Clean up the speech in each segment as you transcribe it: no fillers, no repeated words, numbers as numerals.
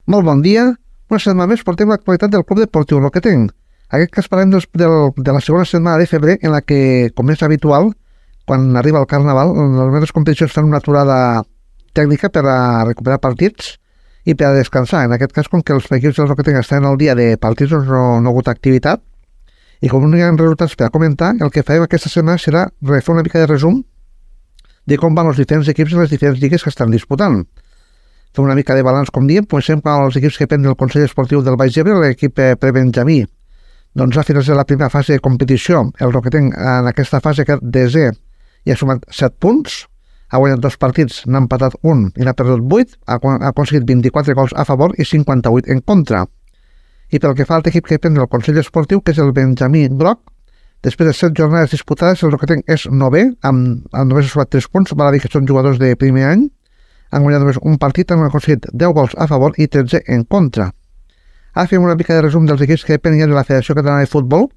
Molt bon dia. Una setmana més portem l'actualitat del Club Deportiu Roquetenc. En aquest cas parlem de la segona setmana de febrer, en la que, com és habitual, quan arriba el Carnaval, les competicions fan una aturada tècnica per a recuperar partits i per a descansar. En aquest cas, com que els equips del Roquetenc estan al dia de partits, doncs no ha hagut activitat. I com no hi ha resultats per a comentar, el que farem aquesta setmana serà fer una mica de resum de com van els diferents equips en les diferents lligues que estan disputant. Fem una mica de balanç, com diem. Comencem amb els equips que depenen del Consell Esportiu del Baix Ebre. L'equip prebenjamí doncs ha finalitzat la primera fase de competició. El Roquetenc en aquesta fase que desè i ha sumat 7 punts, ha guanyat 2 partits, n'ha empatat 1 i n'ha perdut 8, ha aconseguit 24 gols a favor i 58 en contra. I pel que fa al equip que depèn del Consell Esportiu, que és el Benjamí Groc, després de 7 jornades disputades, el Roquetenc és 9è, només ha sumat 3 punts, val a dir que són jugadors de primer any. Han guanyat només un partit, han aconseguit 10 gols a favor i 13 en contra. Ara fem una mica de resum dels equips que depenen de la Federació Catalana de Futbol.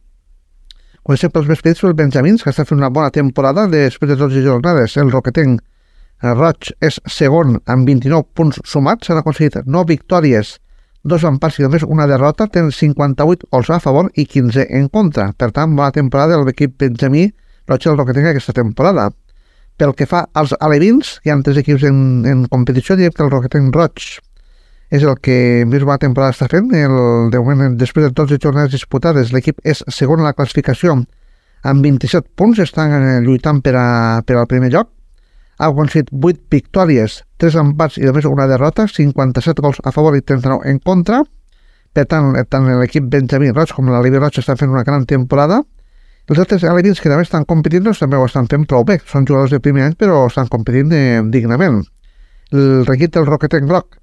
Comencem pels més petits, els benjamins, que estan fent una bona temporada després de 12 jornades. El Roquetenc Roig és segon amb 29 punts sumats, han aconseguit 9 victòries, 2 empats i només una derrota, tenen 58 gols a favor i 15 en contra. Per tant, bona temporada de l'equip benjamí Roig del Roquetenc aquesta temporada. Pel que fa als alevins, hi ha 3 equips en competició, diem que el Roquetenc Roig és el que més bona temporada està fent. De moment, després de 12 jornades disputades, l'equip és segon a la classificació amb 27 punts, estan lluitant per al primer lloc. Ha aconseguit 8 victòries, 3 empats i només una derrota, 57 gols a favor i 39 en contra. Per tant l'equip benjamí Roig com l'Aleví Roig estan fent una gran temporada. Els altres alevins que també estan competint doncs, també ho estan fent prou bé. Són jugadors de primer any, però estan competint dignament. El equip del Roquetenc Groc,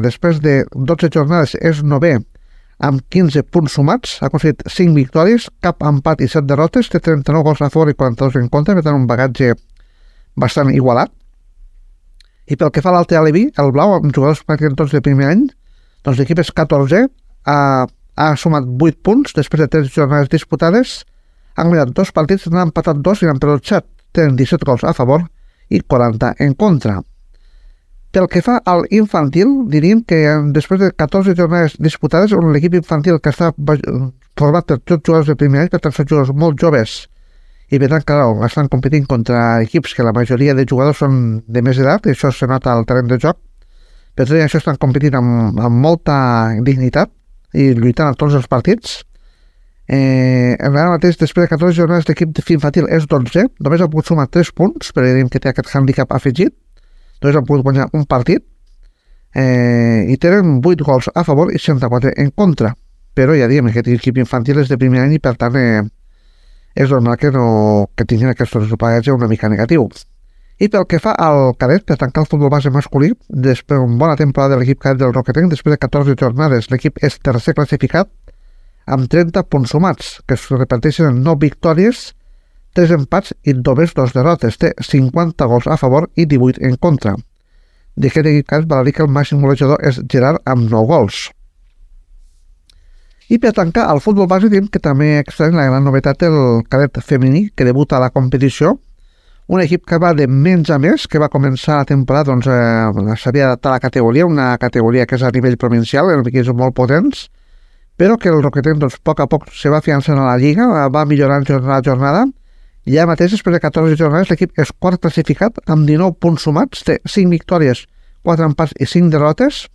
després de 12 jornades, és 9è amb 15 punts sumats. Ha aconseguit 5 victòries, cap empat i 7 derrotes, té 39 gols a favor i 42 en contra, per tant un bagatge bastant igualat. I pel que fa a l'altre aleví, el blau, amb jugadors pràcticament tots de primer any, doncs l'equip és 14è, ha sumat 8 punts després de 3 jornades disputades. Han guanyat 2 partits, n'han empatat 2 i n'han perdut 7. Tenen 17 gols a favor i 40 en contra. Pel que fa al infantil, diríem que després de 14 jornades disputades, l'equip infantil que està format per tots jugadors de primer any, per tant són jugadors molt joves, i per tant, clar, estan competint contra equips que la majoria de jugadors són de més edat, i això se nota al terreny de joc. Per tant, això estan competint amb molta dignitat i lluitant a tots els partits. Ara mateix, després de 14 jornades, l'equip infantil és 12è, només ha pogut sumar 3 punts, però diguem que té aquest handicap afegit, només han pogut guanyar un partit, i tenen 8 gols a favor i 64 en contra, però ja diguem que aquest equip infantil és de primer any i per tant és normal que tinguin aquest resultat una mica negatiu. I pel que fa al cadet, per tancar el futbol base masculí, després d'una bona temporada de l'equip cadet del Roquetenc, després de 14 jornades, l'equip és tercer classificat, amb 30 punts sumats, que es reparteixen en 9 victòries, 3 empats i només 2 derrotes. Té 50 gols a favor i 18 en contra. D'aquest equip val a dir que el màxim golejador és Gerard amb 9 gols. I per tancar el futbol base, diem que també extraiem la gran novetat el cadet femení, que debuta a la competició. Un equip que va de menys a més, que va començar la temporada, doncs s'havia adaptat a la categoria, una categoria que és a nivell provincial, en equips molt potents, però que el Roquetenc, doncs, a poc se va fiançant a la Lliga, va millorant jornada a jornada, i ja mateix, després de 14 jornades, l'equip és quart classificat, amb 19 punts sumats, té 5 victòries, 4 empats i 5 derrotes,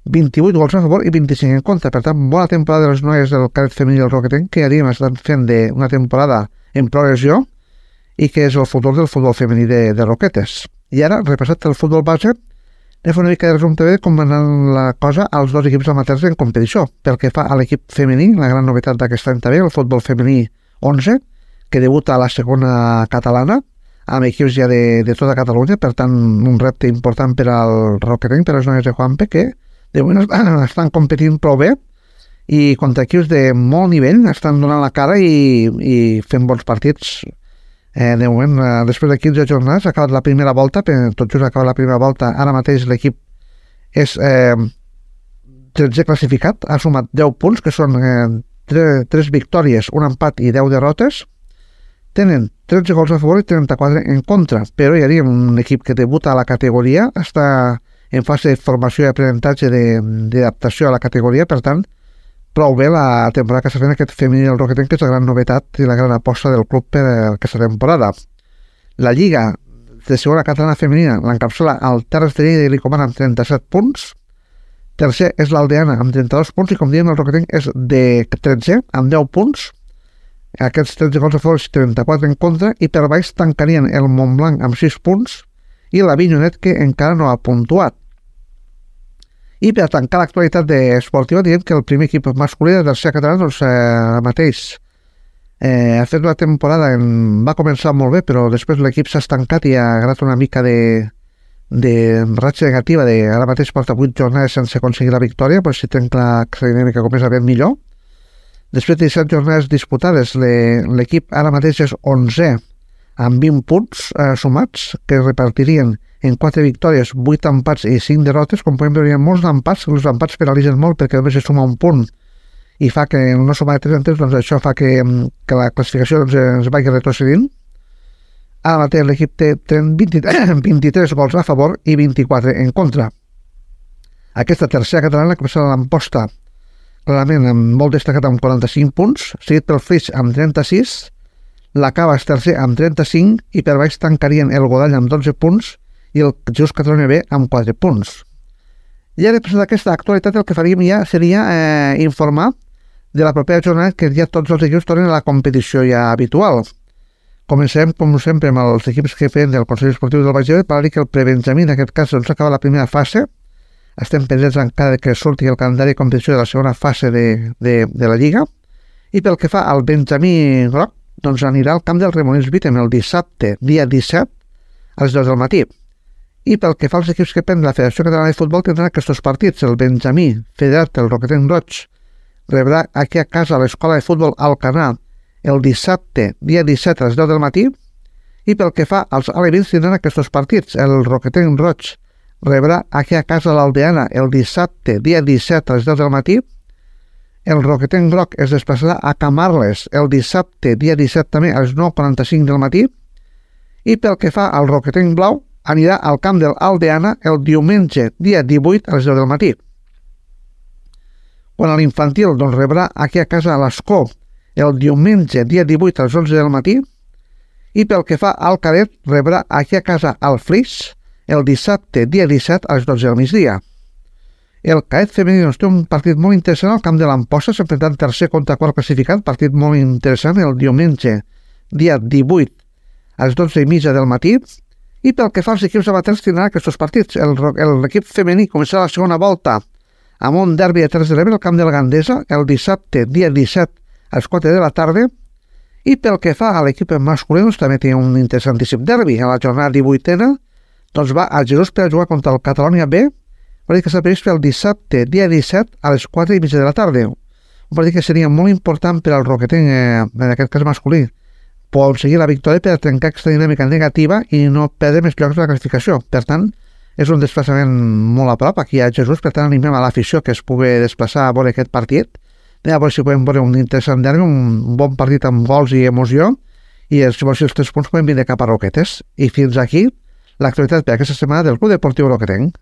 28 gols a favor i 25 en contra. Per tant, bona temporada de les noies del cadet femení del Roquetenc, que ja diguem, estan fent una temporada en progressió, i que és el futur del futbol femení de Roquetes. I ara, repassat el futbol base, anem a fer una mica de resum també com va anar la cosa als 2 equips amateurs en competició. Pel que fa a l'equip femení, la gran novetat d'aquest any també, el futbol femení 11, que debuta a la segona catalana, amb equips ja de tota Catalunya, per tant, un repte important per al Roquetenc, per als noies de Juanpe, que de moment estan competint prou bé i contra equips de molt nivell, estan donant la cara i fent bons partits. De moment, després de 15 jornades, ha acabat la primera volta, tot just ha acabat la primera volta, ara mateix l'equip és 13è classificat, ha sumat 10 punts, que són 3 victòries, un empat i 10 derrotes, tenen 13 gols a favor i 34 en contra, però ja diguem, un equip que debuta a la categoria està en fase de formació i aprenentatge d'adaptació a la categoria, per tant, prou bé la temporada que s'ha fet aquest femení del Roquetenc, que és la gran novetat i la gran aposta del club per aquesta temporada. La Lliga de segona catalana femenina l'encapçala el Terres de Lleida i li comana amb 37 punts. Tercer és l'Aldeana amb 32 punts i, com diem, el Roquetenc és de 13 amb 10 punts. Aquests 13 gols a favor i 34 en contra, i per baix tancarien el Montblanc amb 6 punts i la Vinyonet, que encara no ha puntuat. I per tancar l'actualitat esportiva, diem que el primer equip masculí de tercera catalana, doncs, mateix ha fet una temporada, va començar molt bé, però després l'equip s'ha estancat i ha agarrat una mica de ratxa negativa. Ara mateix porta 8 jornades sense aconseguir la victòria, però si trenca la dinàmica comença ben millor. Després de 17 jornades disputades, l'equip ara mateix és 11è amb 20 punts sumats, que es repartirien en 4 victòries, 8 empats i 5 derrotes. Com podem veure, hi ha molts empats, els empats penalitzen molt perquè només es suma un punt i fa que no suma de 3 en 3, doncs això fa que la classificació es vagi retrocedint. Ara mateix l'equip té 23 gols a favor i 24 en contra. Aquesta tercera catalana comença l'Amposta clarament molt destacat amb 45 punts, seguit pel Flix amb 36, la Cava és tercer amb 35 i per baix tancarien el Godall amb 12 punts i el Jesús Catalunya B amb 4 punts. I ara, després d'aquesta actualitat, el que faríem ja seria informar de la propera jornada, que ja tots els equips tornen a la competició ja habitual. Comencem, com sempre, amb els equips que feien del Consell Esportiu del Baix Ebre, per dir que el prebenjamí, en aquest cas, doncs acaba la primera fase. Estem pendents encara que surti el calendari de competició de la segona fase de la Lliga. I pel que fa al benjamí groc, doncs anirà al camp del Remonins Vítem el dissabte, dia 17, a les 2 del matí. I pel que fa als equips que prenen la Federació Catalana de Futbol, tindran aquests partits. El benjamí federat, el Roquetenc Roig, rebrà aquí a casa a l'Escola de Futbol Alcanar el dissabte, dia 17, a les 10 del matí. I pel que fa als alevins, tindran aquests partits. El Roquetenc Roig rebrà aquí a casa l'Aldeana el dissabte, dia 17, a les 10 del matí. El Roquetenc Groc es desplaçarà a Camarles el dissabte, dia 17 també, a les 9:45 del matí. I pel que fa al Roquetenc Blau, anirà al camp de l'Aldeana el diumenge, dia 18, a les 10 del matí. Quan a l'infantil, doncs, rebrà aquí a casa a l'Escó el diumenge, dia 18, a les 11 del matí. I pel que fa al cadet, rebrà aquí a casa al Flix el dissabte, dia 17, a les 12 del migdia. El cadet femení té un partit molt interessant al camp de l'Amposta, s'enfrontant tercer contra quart classificat, partit molt interessant el diumenge, dia 18, a les 12:30 del matí. I pel que fa als equips amateurs, tindran aquests partits. L'equip femení començarà la segona volta amb un derbi de Terres de l'Ebre al camp de la Gandesa el dissabte, dia 17, a les 4 de la tarda. I pel que fa a l'equip masculí, doncs, també té un interessantíssim derbi. A la jornada 18a, doncs va a Jesús per jugar contra el Catalunya B, un partit que s'ha previst el dissabte, dia 17, a les 4:30 de la tarda. Un partit que seria molt important per al Roquetenc, en aquest cas masculí, aconseguir la victòria per trencar aquesta dinàmica negativa i no perdre més llocs de la classificació. Per tant, és un desplaçament molt a prop aquí a Jesús, per tant animem a l'afició que es pugui desplaçar a veure aquest partit. A veure si podem veure un interessant derbi, un bon partit amb gols i emoció, i si vols els 3 punts poden vindre cap a Roquetes. I fins aquí l'actualitat per aquesta setmana del Club Deportiu Roquetenc.